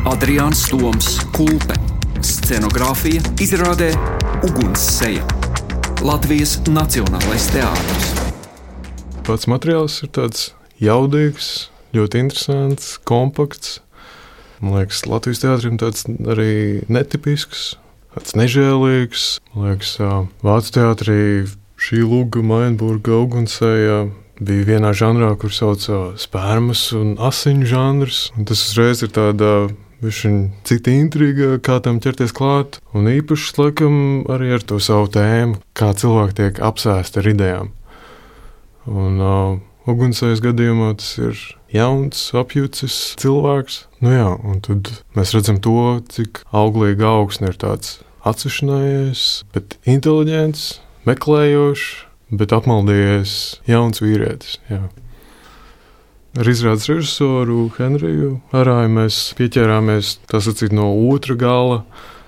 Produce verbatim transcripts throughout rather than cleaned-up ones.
Adriāns Toms Kulpe. Scenogrāfija izrādē Uguns seja. Latvijas Nacionālais teātris. Pats materiāls ir tāds jaudīgs, ļoti interesants, kompakts. Man liekas, Latvijas teātrim tāds arī netipisks, tāds nežēlīgs. Man liekas, Vācu teātrī šī luga Mainburga Ugunsseja bija vienā žanrā, kur sauca spērmas un asiņu žanrs. Un tas uzreiz ir tāda višķiņ cita intriga, kā tam ķerties klāt. Un īpaši, laikam, arī ar to savu tēmu, kā cilvēki tiek apsēsti ar idejām. Un uh, Ugunssejas gadījumā tas ir jauns, apjucis cilvēks. Nu jā, un tad mēs redzam to, cik auglīga augsne ir tāds atsešanājies, bet inteliģents, meklējošs, bet apmaldījies jauns vīrietis. Jā. Ar izrādes režisoru Henriju Arāju mēs pieķērāmies tā sacīt no otra gala,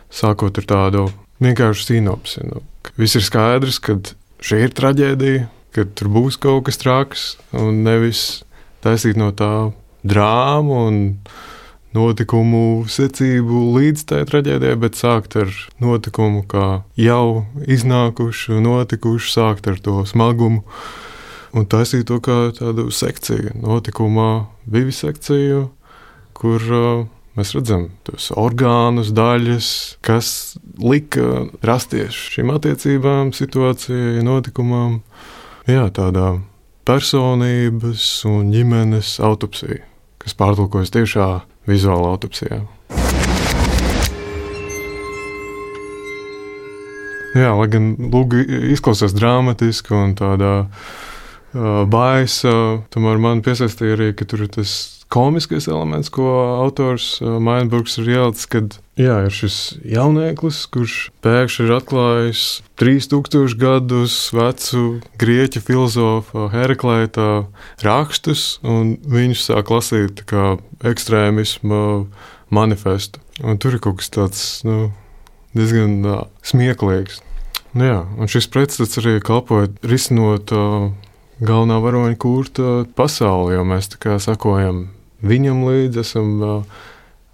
sākot ar tādu vienkāršu sinopsi. Nu, viss ir skaidrs, ka šī ir traģēdija, ka tur būs kaut kas traks, un nevis taisīt no tā drāmu un notikumu secību līdz tai traģēdijai, bet sākt ar notikumu, kā jau iznākušu, notikušu, sākt ar to smagumu. Un taisīt to kā tādu sekciju, notikumā vivisekciju, kur uh, mēs redzam tos orgānus, daļas, kas lika rasties šīm attiecībām, situācijai, notikumam. Jā, tādā personības un ģimenes autopsija, kas pārtulkojas tiešā vizuāla autopsijā. Jā, lai gan lūga izklausās dramatiski un tādā uh, baisa, tomēr man piesaistīja arī, ka tur ir tas komiskais elements, ko autors uh, Mainburgs ir ielicis, kad jā, ir šis jaunieklis, kurš pēkšņi ir atklājis trīs tūkstoši gadus vecu grieķu filozofa Heraklēta rakstus, un viņš sāk lasīt kā ekstrēmisma manifestu. Un tur ir kaut kas tāds, nu, diezgan uh, smieklīgs. Nu jā, un šis pretstats arī kalpoja risinot uh, galvenā varoņa Kurta pasauli, jo mēs tā kā sakojam viņam līdzi, esam uh,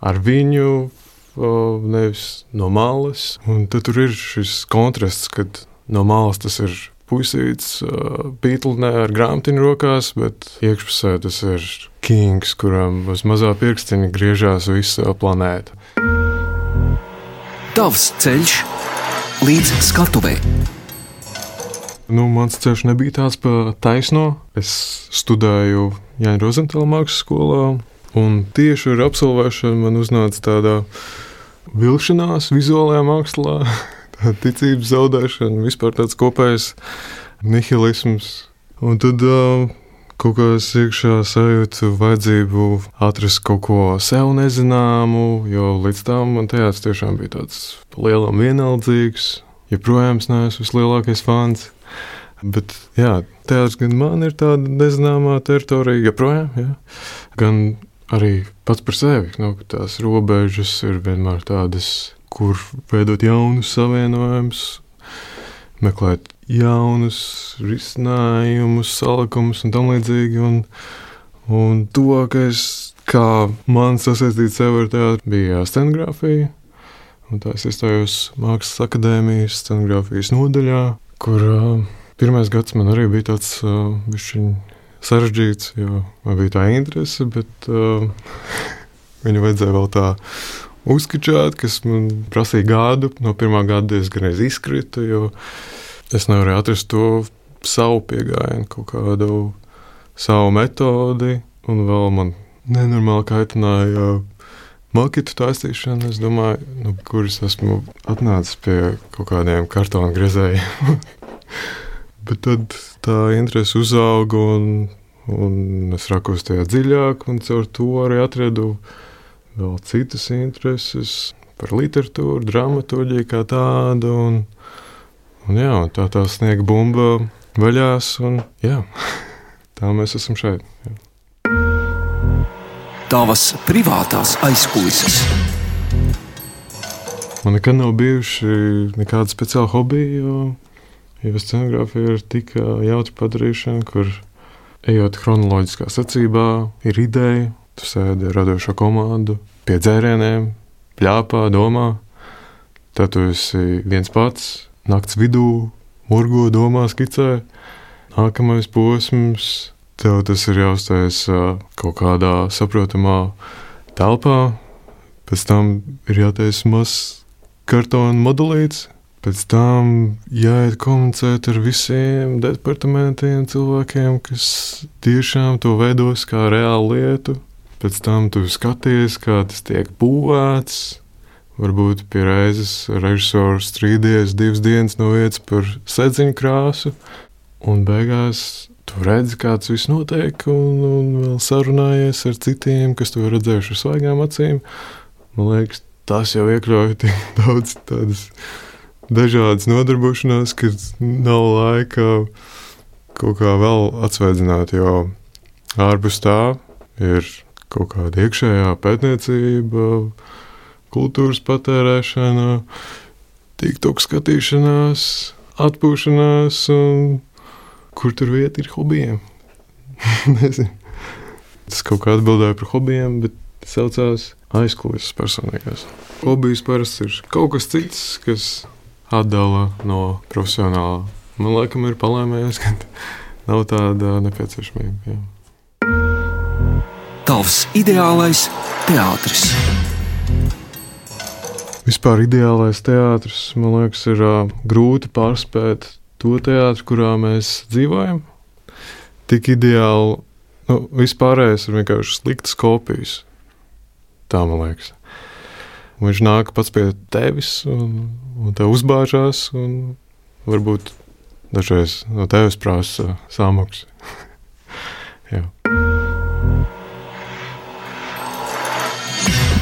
ar viņu, uh, nevis no malas. Un tad tur ir šis kontrasts, kad no malas tas ir puisīts uh, pītlnē ar grāmatiņu rokās, bet iekšpusē tas ir kings, kuram uz mazā pirkstiņa griežās visa planēta. Tavs ceļš līdz skatuvei. Nu, mans ceļš nebija tāds pa taisno. Es studēju Jāņa Rozentāla mākslas skolā, un tieši ar absolvēšanu man uznāca tāda vilšanās vizuālajā mākslā, tāda ticības zaudēšana, vispār tāds kopējs nihilisms. Un tad uh, kaut kā es iekšā sajūtu vajadzību atrast kaut ko sev nezināmu, jo līdz tam man teātris tiešām bija tāds lielam vienaldzīgs, joprojām es neesmu vislielākais fans. Bet jā, teātris gan man ir tāda nezināmā teritorija, joprojām, jā. Gan arī pats par sevi, nu, tās robežas ir vienmēr tādas, kur veidot jaunus savienojumus, meklēt jaunus risinājumus, salikumus un tam līdzīgi. Un, un to, ka es, kā man sasaistīt sev ar teātri, bija scenogrāfija. Un tā es iestājos Mākslas akadēmijas scenogrāfijas nodaļā, kur uh, pirmais gads man arī bija tāds uh, višķiņ sarežģīts, jo man bija tā interese, bet uh, viņu vajadzēja vēl tā uzskačāt, kas man prasīja gadu. No pirmā gada es gan reiz izkritu, jo es nevarēju atrast to savu piegājienu, kaut kādu savu metodi, un vēl man nenormāli kaitināja maketu taisīšana. Es domāju, nu, kur es esmu atnācis pie kaut kādiem kartona grezējiem. Bet tad tā interese uzauga, un, un es rakos tajā dziļāk, un caur to arī atradu vēl citas intereses par literatūru, dramaturģiju kā tādu, un, un jā, tā tā sniega bumba vaļās, un jā, tā mēs esam šeit. Jā. Tavas privātās aizkulises. Man nekad nav bijuši nekāda speciāla hobija, jo, jo scenogrāfija ir tik jautri padarīšana, kur ejot chronoloģiskā secībā, ir ideja, tu sēdi ar radošo komandu, pie dzērieniem, pļāpā, domā. Tad tu esi viens pats, nakts vidū, murgo, domā, skicē. Nākamais posms, tev tas ir jāuztaisa kaut kādā saprotamā telpā. Pēc tam ir jātaisa mazs kartona modulīts. Pēc tam jāiet komunicēt ar visiem departamentiem, cilvēkiem, kas tiešām to veidos kā reālu lietu. Pēc tam tu skaties, kā tas tiek būvēts. Varbūt pie reizes režisors strīdies divas dienas no vietas par sedziņu krāsu, un beigās tu redzi, kā tas viss notiek, un, un vēl sarunājies ar citiem, kas to redzējuši ar svaigām acīm. Man liekas, tas jau iekļauj tik daudz tādas dažādas nodarbošanās, ka nav laika kaut kā vēl atsveidzināt, jo ārpus tā ir kaut kāda iekšējā pētniecība, kultūras patērēšana, TikTok skatīšanās, atpūšanās, un kur tur vieta ir hobijiem. Nezinu. Tas kaut kā atbildēja par hobijiem, bet tas saucās aizkulisēs personīgās. Hobijs parasti ir kaut kas cits, kas atdala no profesionālā. Man laikam ir palēmējies, ka nav tāda nepieciešamība. Jā. Tavs ideālais teātris. Vispār ideālais teātris, man liekas, ir uh, grūti pārspēt to teātri, kurā mēs dzīvojam. Tik ideāli, nu, vispārējais ir vienkārši sliktas kopijas. Tā, man liekas. Viņš nāk pats pie tevis un, un tev uzbāžās, un varbūt dažreiz no tevis prasa sāmaksu. Jā.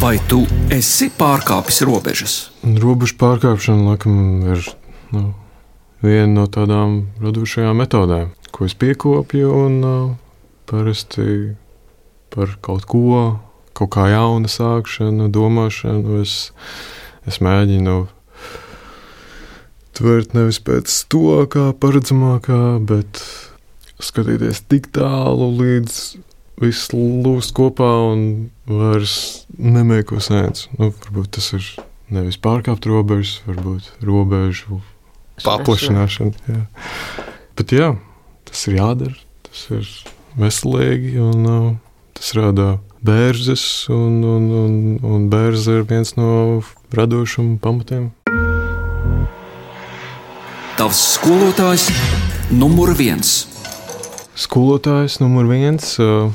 Vai tu esi pārkāpis robežas? Robežu pārkāpšana, laikam, ir nu, viena no tādām radošajām metodēm, ko es piekopju, un uh, parasti par kaut ko, kaut kā jauna sākšanu, domāšanu, es, es mēģinu tvert nevis pēc to, kā paredzamākā, bet skatīties tik tālu, līdz viss lūst kopā un vairs nemieko sēdz. Nu, varbūt tas ir nevis pārkāpt robežas, varbūt robežu paplašināšana. Jā. Bet jā, tas ir jādara, tas ir veselīgi, un uh, tas rada bērzes, un, un, un, un bērze ir viens no radošuma pamatiem. Tavs skolotājs numur viens. Skolotājs numur viens, uh,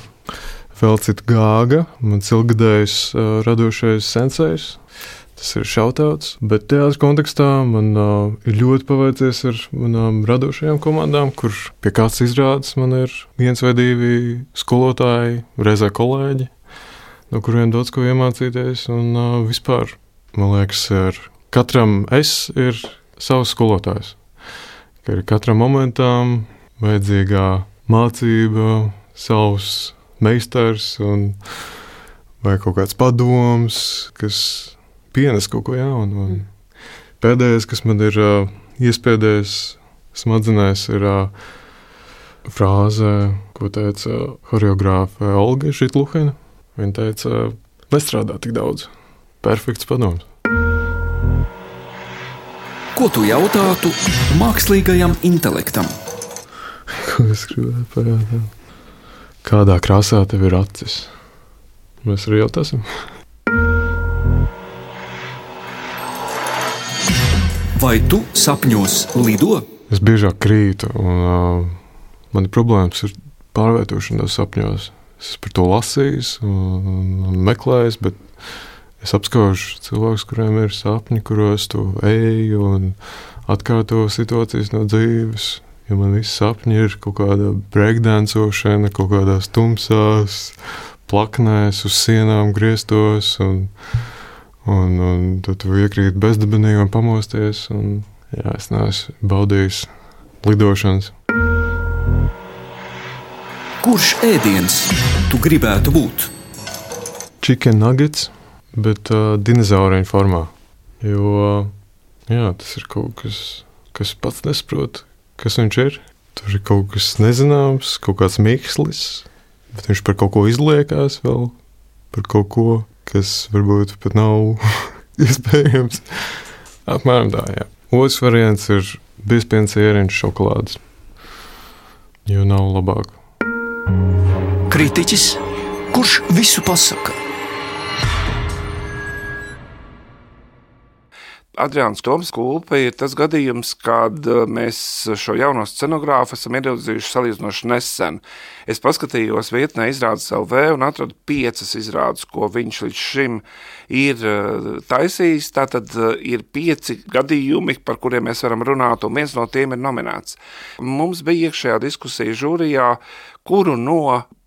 Velcita Gāga, mans ilgadējs uh, radošais sensejs. Tas ir šautauts, bet teātris kontekstā man uh, ir ļoti paveicies ar manām radošajām komandām, kur pie kāds izrādes man ir viens vai divi skolotāji, reizē kolēģi, no kuriem daudz ko iemācīties, un uh, vispār, man liekas, ar katram es ir savs skolotājs, ka ir katram momentam vajadzīgā mācība, savs meistars un vai kaut kāds padoms, kas pienes kaut ko jaunu. Un pēdējais, kas man ir uh, iespēdējis smadzenēs, ir uh, frāze, ko teica horeogrāfe Olga Žitluhina. Viņa teica, nestrādā tik daudz. Perfekts padoms. Ko tu jautātu mākslīgajam intelektam? Ko es gribēju pajautāt? Kādā krāsā tev ir acis? Mēs arī jautāsim. Vai tu sapņos lido? Es biežāk krītu, un uh, mani problēmas ir pārvietošanās sapņos. Es par to lasījis un, un meklējis, bet es apskaužu cilvēkus, kuriem ir sapņi, kuros tu eju un atkārto situācijas no dzīves. Ja man visi sapņi ir kaut kāda breakdancošana, kaut kādās tumsās, plaknēs, uz sienām grieztos, un, un, un tad tu iekrīt bezdibenī un pamosties, un jā, es neesmu baudījis lidošanas. Kurš ēdiens tu gribētu būt? Chicken nuggets, bet uh, dinozauriņu formā, jo jā, tas ir kaut kas, kas pats nesaprot, kas viņš ir. Tur ir kaut kas nezināms, kaut kāds mikslis, bet viņš par kaut ko izliekās vēl, par kaut ko, kas varbūt pat nav iespējams. Apmēram tā, jā. Otrs variants ir bezpiens ēriņš šokolādes, jo nav labāk. Kritiķis, kurš visu pasaka? Adriāns Toms Kulpe ir tas gadījums, kad mēs šo jauno scenogrāfu esam ieraudzījuši salīdzinoši nesen. Es paskatījos vietnē izrādes L V un atradu piecas izrādes, ko viņš līdz šim ir taisījis. Tātad ir pieci gadījumi, par kuriem mēs varam runāt, un viens no tiem ir nominēts. Mums bija iekšējā diskusija žūrijā, kuru no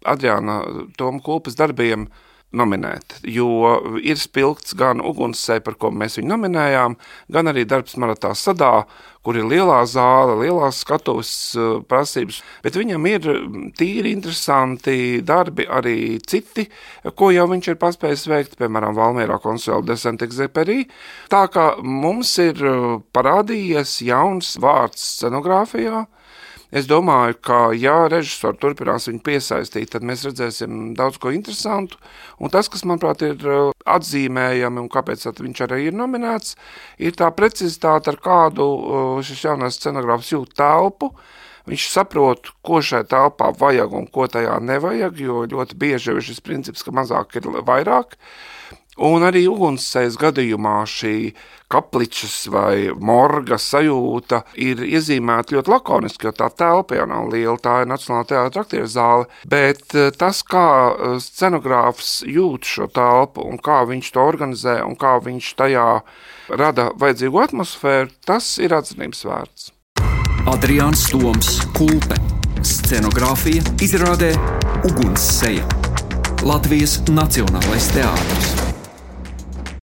Adriāna Toma Kulpes darbiem nominēt, jo ir spilgts gan Ugunsseja, par ko mēs viņu nominējām, gan arī darbs Maratā sadā, kur ir lielā zāle, lielās skatuves prasības, bet viņam ir tīri interesanti darbi arī citi, ko jau viņš ir paspējis veikt, piemēram, Valmierā Consuelo de Saint-Exupéry. Tā kā mums ir parādījies jauns vārds scenogrāfijā. Es domāju, ka ja režisori turpinās viņu piesaistīt, tad mēs redzēsim daudz ko interesantu. Un tas, kas, manuprāt, ir atzīmējami un kāpēc viņš arī ir nominēts, ir tā precizitāte, ar kādu šis jaunais scenogrāfs jūt telpu. Viņš saprot, ko šai telpā vajag un ko tajā nevajag, jo ļoti bieži ir šis princips, ka mazāk ir vairāk. Un arī Ugunssejas gadījumā šī kapličas vai morga sajūta ir iezīmēta ļoti lakoniski, jo tā telpa jau nav liela, tā ir Nacionālā teātra aktieru zāle, bet tas, kā scenogrāfs jūt šo telpu un kā viņš to organizē un kā viņš tajā rada vajadzīgu atmosfēru, tas ir atzinības vērts. Adriāns Toms Kulpe. Scenogrāfija izrādē Ugunsseja. Latvijas Nacionālais teātris.